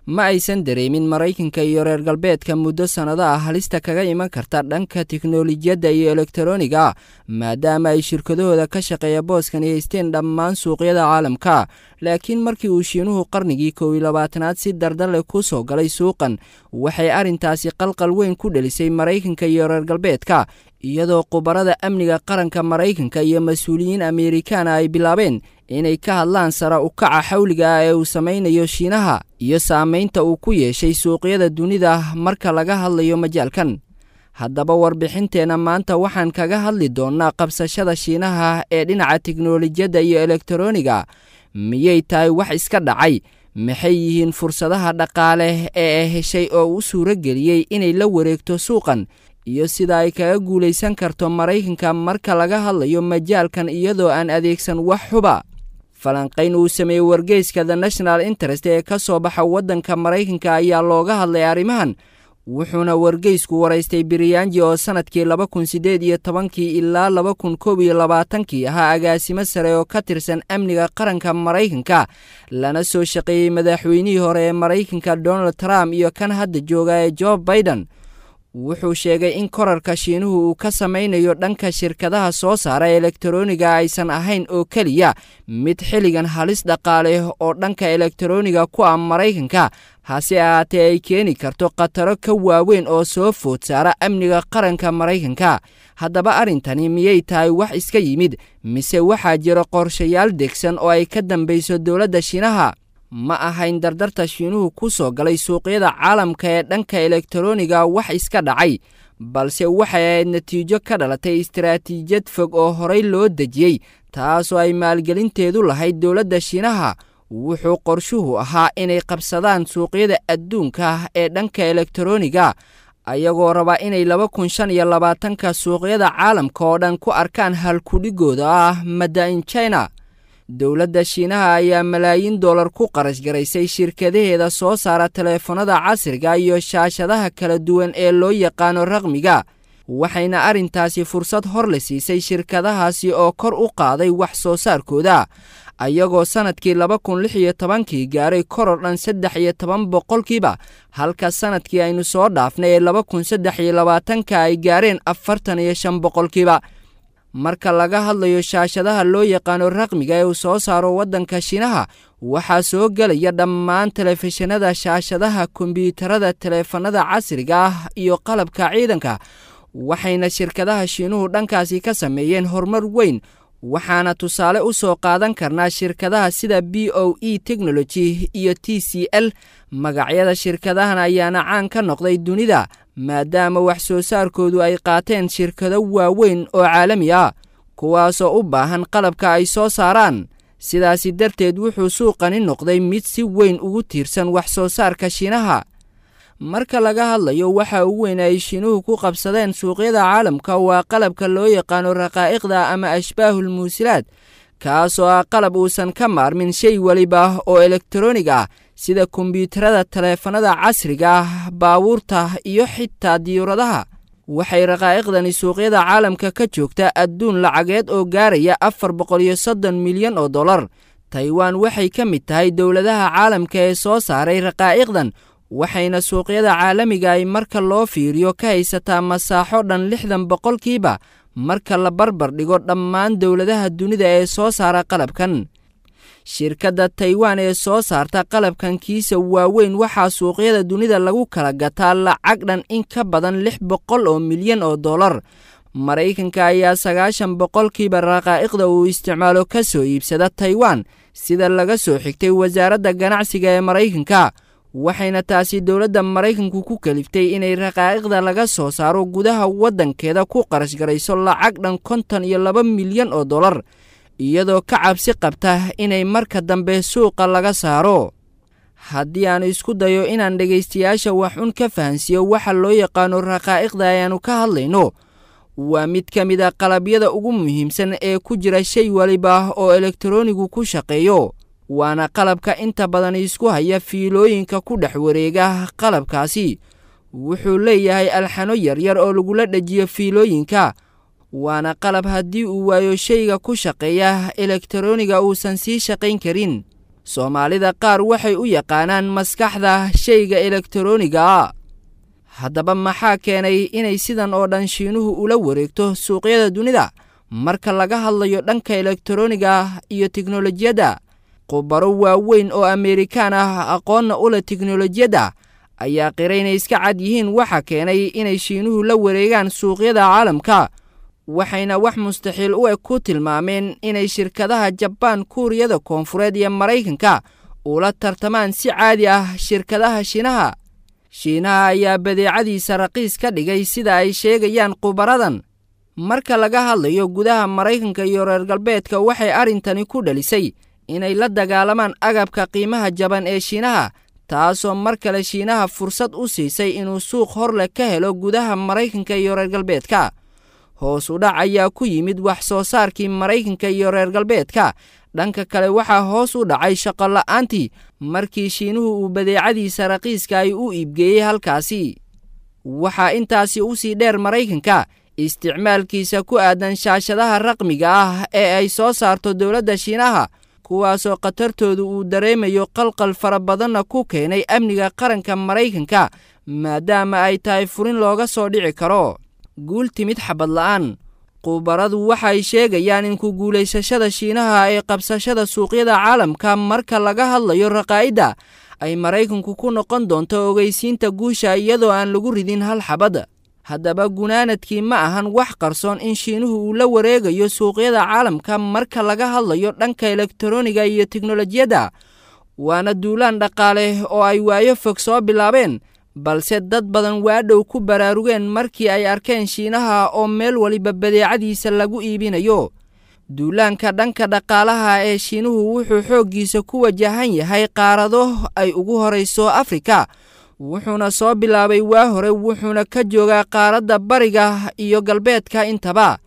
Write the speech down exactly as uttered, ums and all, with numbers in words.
Ma aysan dareemin Maraykanka iyo reer galbeedka muddo sannado ah halista kaga iman karta dhanka tiknolojiyadda iyo elektaroniga, maadaama ay shirkadahooda ka shaqeeya booskani haysteen dhammaan suuqyada caalamka. Laakiin markii uu Shiinuhu qarnigii kow iyo labaatanaad si dardarle ku soo galay suuqan, waxay arrintaasi qalqal weyn ku dhelisay Maraykanka iyo reer galbeedka, iyadoo khubarada amniga qaranka Maraykanka iyo mas-uuliyiin Amerikaana ay bilaabeen inay ka hadlaan sara u kaca xawliga ah ee uu samaynayo Shiinaha iyo saamaynta uu ku yeeshay suuqyada dunida marka laga hadlayo majaalkan. Haddaba warbixinteenna maanta waxaan kaga hadli doonnaa qabsashada Shiinaha ee dhinaca tiknolojiyadda iyo elektaroniga. Miyay tahay wax iska dhacay? Maxay yihiin fursadaha dhaqaale ee heshay oo u suuro geliyey inay la wareegto suuqan, iyo sida ay kaga guulaysan karto Maraykanka marka laga hadlayo majaalkan iyadoo aan adeegsan wax xuba? Falanqayn uu sameeyey wargeyska The National Interest ee ka soo baxa waddanka Maraykanka ayaa looga hadlay arrimahan, wuxuuna wargeysku waraystay Biryaanji oo sanadkii laba kun siddeed iyo tobankii ilaa laba kun koob iyo labaatankii ahaa agaasimo sare oo ka tirsan amniga qaranka Maraykanka, lana soo shaqeeyey madaxweynihii hore ee Maraykanka Donald Trump iyo kan hadda jooga ee Joe Biden. Wuxuu sheegay in korarka Shiinuhu uu ka samaynayo dhanka shirkadaha soo saara elektaroniga aysan ahayn oo keliya mid xilligan halis dhaqaale oo dhanka elektaroniga ku ah Maraykanka, hase ahaatee ay keeni karto khataro ka waaweyn oo soo food saara amniga qaranka Maraykanka. Haddaba arrintani miyay tahay wax iska yimid, mise waxaa jira qorshayaal degsan oo ay ka dambayso dowladda Shiinaha? Ma ahayn dardarta Shiinuhu ku soo galay suuqyada caalamka ee dhanka elektaroniga wax iska dhacay, balse waxay ahayd natiijo ka dhalatay istaraatiijiyad fog oo horey loo dejiyey, taasoo ay maalgelinteedu lahayd dowladda Shiinaha. Wuxuu qorshuhu ahaa inay qabsadaan suuqyada adduunka ee dhanka elektaroniga, ayagoo raba inay laba kun shan iyo labaatanka suuqyada caalamka oo dhan ku arkaan halkudhigooda ah Mada in China. Dowladda Shiinaha ayaa malaayiin dollar ku qarash garaysay shirkadaheeda soo saara teleefanada casriga iyo shaashadaha kala duwan ee loo yaqaano raqmiga, waxayna arrintaasi fursad hor le siisay shirkadahaasi oo kor u qaaday wax soo saarkooda, ayagoo sanadkii laba kun lix iyo tobankii gaaray koror dhan saddex iyo toban boqolkiiba, halka sanadkii aynu soo dhaafnay ee laba kun saddex iyo labaatanka ay gaareen afartan iyo shan boqolkiiba. Marka laga hadlayo shaashadaha loo yaqaano raqmiga ee uu soo saaro waddanka Shiinaha, waxaa soo gelaya dhammaan telefishinada, shaashadaha kombiyuutarada, teleefanada casriga ah iyo qalabka ciidanka, waxayna shirkadaha Shiinuhu dhankaasi ka sameeyeen horumar weyn. Waxaana tusaale u soo qaadan karnaa shirkadaha sida B O E Technology iyo T C L. Magacyada shirkadahan ayaana caan ka noqday dunida, maadaama wax soo saarkoodu ay qaateen shirkado waaweyn oo caalami ah, kuwaasoo u baahan qalabka ay soo saaraan. Sidaasi darteed wuxuu suuqani noqday mid si weyn ugu tiirsan wax soo saarka Shiinaha. Marka laga hadlayo waxa ugu weyn ay Shiinuhu ku qabsadeen suuqyada caalamka waa qalabka loo yaqaano raqaa'iqda ama ashbaahul muusilaad, kaasoo ah qalab uusan ka maarmin shay waliba oo elektaroonig ah, sida kombiyuutarada, taleefanada casriga ah, baabuurta iyo xitaa diyuuradaha. Waxay raqaa'iqdani suuqyada caalamka ka joogtaa adduun lacageed oo gaaraya afar boqol iyo soddon milyan oo dollar. Taiwan waxay ka mid tahay dowladaha caalamka ee soo saaray raqaa'iqdan, waxayna suuqyada caalamiga ay marka loo fiiriyo ka haysataa masaaxo dhan lixdan boqolkiiba marka la barbar dhigo dhammaan dowladaha dunida ee soo saara qalabkan. Shirkadda Taiwan ee soo saarta qalabkan kiisa waaweyn waxaa suuqyada dunida lagu kala gataa lacag dhan in ka badan lix boqol oo milyan oo dollar. Maraykanka ayaa sagaashan boqolkiiba raqaa'iqda uu isticmaalo ka soo iibsada Taiwan, sida laga soo xigtay wasaaradda ganacsiga ee Maraykanka, waxayna taasi dowladda Maraykanku ku kaliftay inay raqaa'iqda laga soo saaro gudaha waddankeeda ku qarash garayso lacag dhan konton iyo laba milyan oo dollar, iyadoo ka cabsi qabta inay marka dambe suuqa laga saaro. Haddii aan isku dayo inaan dhegaystayaasha wax un ka fahansiiyo waxa loo yaqaano raqaa'iqda ayaanu ka hadlayno, waa mid ka mid ah qalabyada ugu muhiimsan ee ku jira shay waliba oo elektaroonigu ku shaqeeyo, waana qalabka inta badan isku haya fiilooyinka ku dhex wareega qalabkaasi. Wuxuu leeyahay alxano yaryar oo lagula dhejiyo fiilooyinka, waana qalab haddii uu waayo shayga ku shaqeeya elektarooniga uusan sii shaqayn karin. Soomaalida qaar waxay u yaqaanaan maskaxda shayga elektarooniga. Haddaba maxaa keenay inay sidan oo dhan Shiinuhu ula wareegto suuqyada dunida marka laga hadlayo dhanka elektarooniga iyo tiknolojiyadda? Khubaro waaweyn oo Ameerikaan ah, aqoonna u leh tiknolojiyadda, ayaa qiray inay iska cad yihiin waxa keenay inay Shiinuhu la wareegaan suuqyada caalamka, waxayna wax mustaxiil u eg ku tilmaameen inay shirkadaha Jabaan, Kuuriyada Koonfureed iyo Maraykanka ula tartamaan si caadi ah shirkadaha Shiinaha. Shiinaha ayaa badeecadiisa raqiis ka dhigay, sida ay sheegayaan khubaradan. Marka laga hadlayo gudaha Maraykanka iyo reer galbeedka, waxay arrintani ku dhalisay inay la dagaalamaan agabka qiimaha jaban ee Shiinaha, taasoo mar kale Shiinaha fursad u siisay inuu suuq horleh ka helo gudaha Maraykanka iyo reer galbeedka. Hoos u dhac ayaa ku yimid wax soo saarkii Maraykanka iyo reer galbeedka. Dhanka kale, waxaa hoos u dhacay shaqo la'aantii markii Shiinuhu uu badeecadiisa raqiiska ay u iibgeeyey halkaasi. Waxaa intaasi u sii dheer Maraykanka isticmaalkiisa ku aadan shaashadaha raqmiga ah ee ay soo saarto dowladda Shiinaha, kuwaasoo khatartoodu uu dareemayo qalqal fara badanna ku keenay amniga qaranka Maraykanka, maadaama ay tahay furin looga soo dhici karo. Guul timid xabad la'aan. Khubaradu waxay sheegayaan in ku guulaysashada Shiinaha ee qabsashada suuqyada caalamka marka laga hadlayo raqaa'idda ay Maraykanku ku noqon doonto ogeysiinta guusha iyadoo aan lagu ridin hal xabad. Haddaba gunaanadkii, ma ahan wax qarsoon in Shiinuhu uu la wareegayo suuqyada caalamka marka laga hadlayo dhanka elektarooniga iyo tiknolojiyadda, waana duulaan dhaqaale oo ay waayo fog soo bilaabeen, balse dad badan waadhow ku baraarugeen markii ay arkeen Shiinaha oo meel waliba badeecadiisa lagu iibinayo. Duulaanka dhanka dhaqaalaha ee Shiinuhu wuxuu xooggiisa ku wajahan yahay qaarado ay ugu horayso Afrika, wuxuuna soo bilaabay waa hore, wuxuuna ka joogaa qaaradda bariga iyo galbeedka intaba.